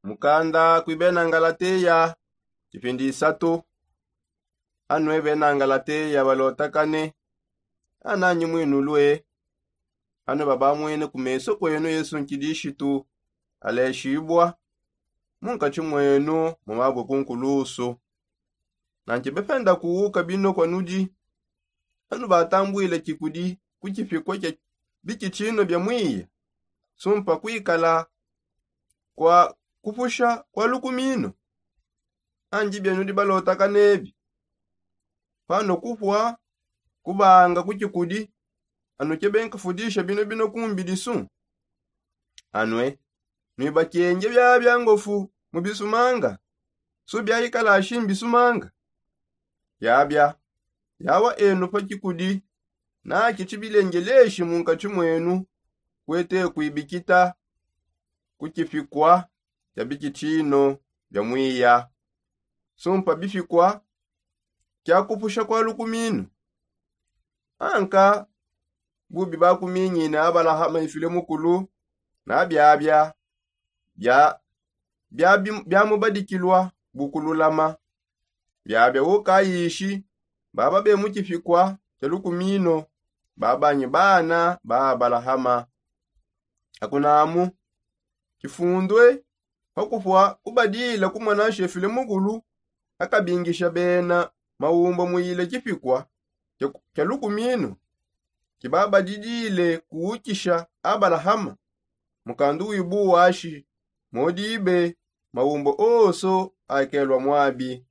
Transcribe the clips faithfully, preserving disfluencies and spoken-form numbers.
Mukanda kui bena ngalateya. Kipindi isatu. Anue bena ngalateya balotakane. Ananyi mwinulue. Anue babamwene ku meso kwenu yesu nkidishitu aleshibua munkatshi mwenu mu mabue kunkulusu. Nanki bependa kuwuka bino kua nudi anu batambwile kikudi ku kipikua kia bikitshino bia mwiya sumpa kuikala kua kupusha kua lukumino. Andi bienu dibalotaka nebi pano kupua kubanga ku kikudi anu kiebenkafudisha bino bino kumbidisu. Anue nuibakenge biabia ngofu mu bisumanga su biaikalashi mbisumanga. Biabia yawa enu pa kikudi naki tshibilengeleshi munkatshi mwenu kuete kuibikita ku kipikua kia bikitshino bia mwiya sumpa bipikua kia kupusha kua lukumino. Anka bubi bakuminyine abalahama ifile mukulu na biabia biamubadikilua bukululama. Biabia ukayishi baba be mu kipikua kia lukumino babanyi bana ba abalahama. Akunamu kifundue pakupua kubadila kumona nshefile mukulu akabingisha bena maumba muyile kipikua kia lukumino kibabadidile kuwukisha abalahama. Mukandu wibuwashi modibe maumba oso akelua muabi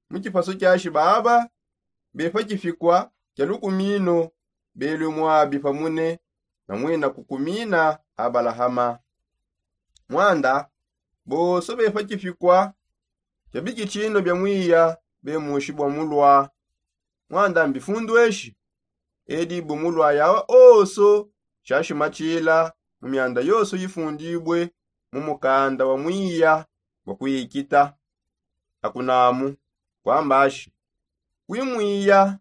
mu kipasu kiashi baba bepa kipikua kia lukumino belue muabi pamune na muina kukumina abalahama. Muanda bonso bepa kipikua kia bikitshino bia mwiya bemushibua mulua. Muanda mbifundueshi edibue mulua yawa onso shiashimatshila mu mianda yonso yifundibue mu mukanda wa mwiya bua kuikita. Akunamu kuambashi kui mwiya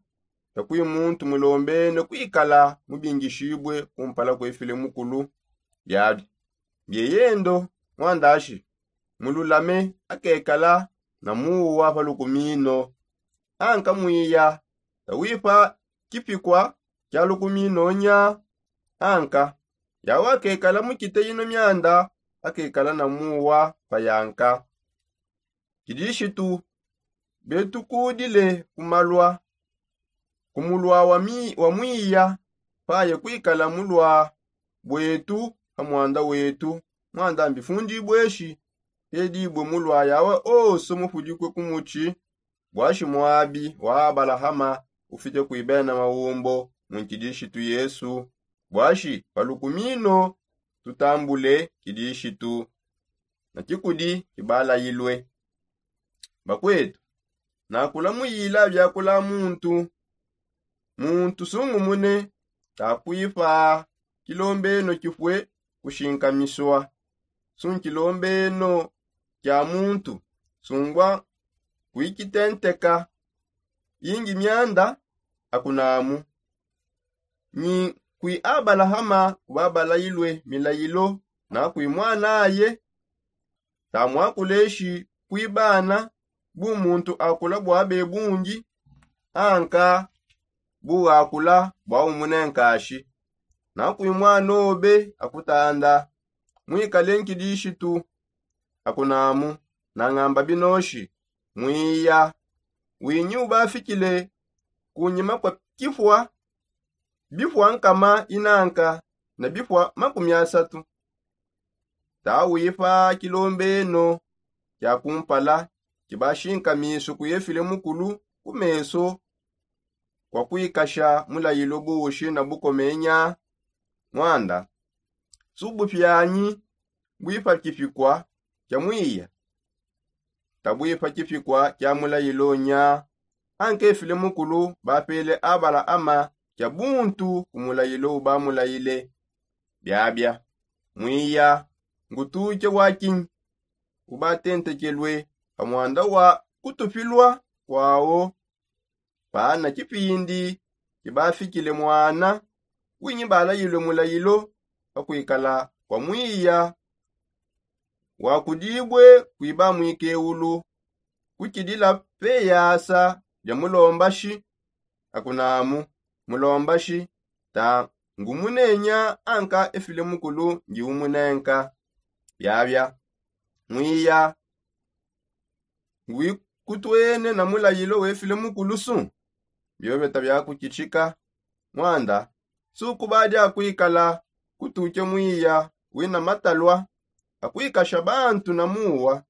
takui muntu mulombene kuikala mubingishibue kumpala kuefile mukulu. Biabi bieyendo muandashi mululame akekala na muwa pa lukumino. Anka mwiya tawipa kipikua kia lukumino nya. Anka yawa akekala mukite ino mianda akekala na muwa pa yanka. Kidishitu betukudile kumalua kumulua wa mwiya paye kuikala mulua bwetu pa muanda wetu. Muanda mbifundibue shi edibue mulua yawa onso mufudikue kumutshi. Buashi muabi wa abalahama ufite kuibena maumbo mu nkidishitu yesu. Buashi pa lukumino tutambule kidishitu na kikudi kibalayilue. Bakwetu, nakula muyila biakula muntu muntu sungumune takuipa kilombeno kipue kushinkamisua. Su nkilombeno kia muntu sungua kuikitenteka ingi mianda. Akunamu nyi kui abalahama kubabalayilue milayilo na kui muanaye. Tamuakuleshi kui bana bu muntu akula bua bebundi anka bu akula bua umune nkashi na kui muanobe akutanda muikale nkidishitu. Akunamu nangamba binoshi mwiya winyi ubafikile kunyima kua kipua bipua nkama inanka na bipua makumi asatu. Tawipa kilombeno kia kumpala kibashinka misu kuyefile mukulu ku meso kua kuikasha mulayilo buushi na bukomenya. Muanda subupianyi buipa kipikua kia mwiya tabuipa kipikua kia mulayilo nya. Ankefile mukulu bapele abalaama kia buntu ku mulayilo ubamulayile. Biabia mwiya ngutuke wa kinyi ubatentekelue pa muanda wa kutupilua kuawo. Pana kipindi kibafikile muana winyi balayilue mulayilo pa kuikala kua mwiya wakudibue kuiba muikeulu kukidila peyasa dia mulombashi. Akunamu mulombashi ta ngumunenya anka efile mukulu ngiumunenka. Biabia mwiya nguikutwene na mulayilo wefile mukulusu. Biobeta biakukitshika mwanda sukubadi akuikala kutuke mwiya wina matalua akuikasha bantu na muwa.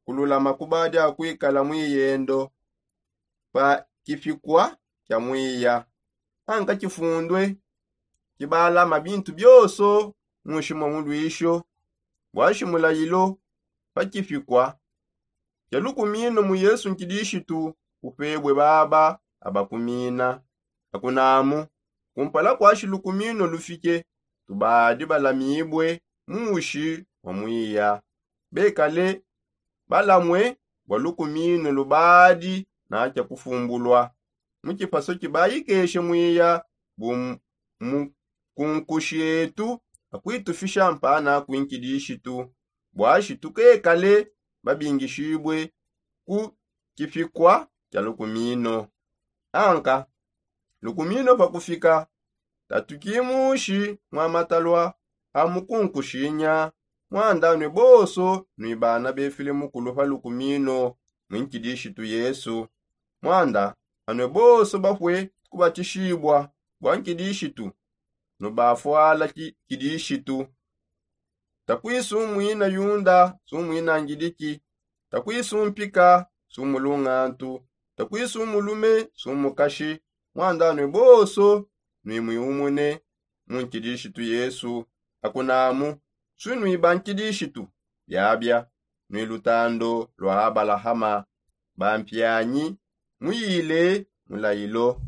Kululama kubadi akuikala mwiyendo pa kipikua kia mwiya anka kifundue kibalama bintu bioso. Mushimua muluisho bwashi mulayilo pa kipikua kia lukumino mu yesu nkidishitu upebue baba abakumina. Akunamu kumpala kwashi lukumino lufike tubadi balamibue mushi wa mwiya bekale balamue bua lukumino lubadi nakia kufumbulua mu kipaso kibayikeshe mwiya bu mukunkushi etu akuitufisha mpana kuinkidishitu bwashi tukekale babingishibue ku kipikua kia lukumino. Anka lukumino pakufika tatukimushi mwa matalua a mukunkushinya mwanda anue bonso nui bana befile mukulu pa lukumino mwinkidishitu yesu. Mwanda anue bonso bapue kubatishibua bua nkidishitu nubafuala kidishitu. Takuisu muina yunda su muina ngidiki. Takuisu mpika su mulungantu. Takuisu mulume su mukashi. Mwanda anue bonso nui muiumune mu nkidishitu yesu. Akunamu su nui ba nkidishitu biabia nui lutando lua abalahama bampianyi muyile mulayilo.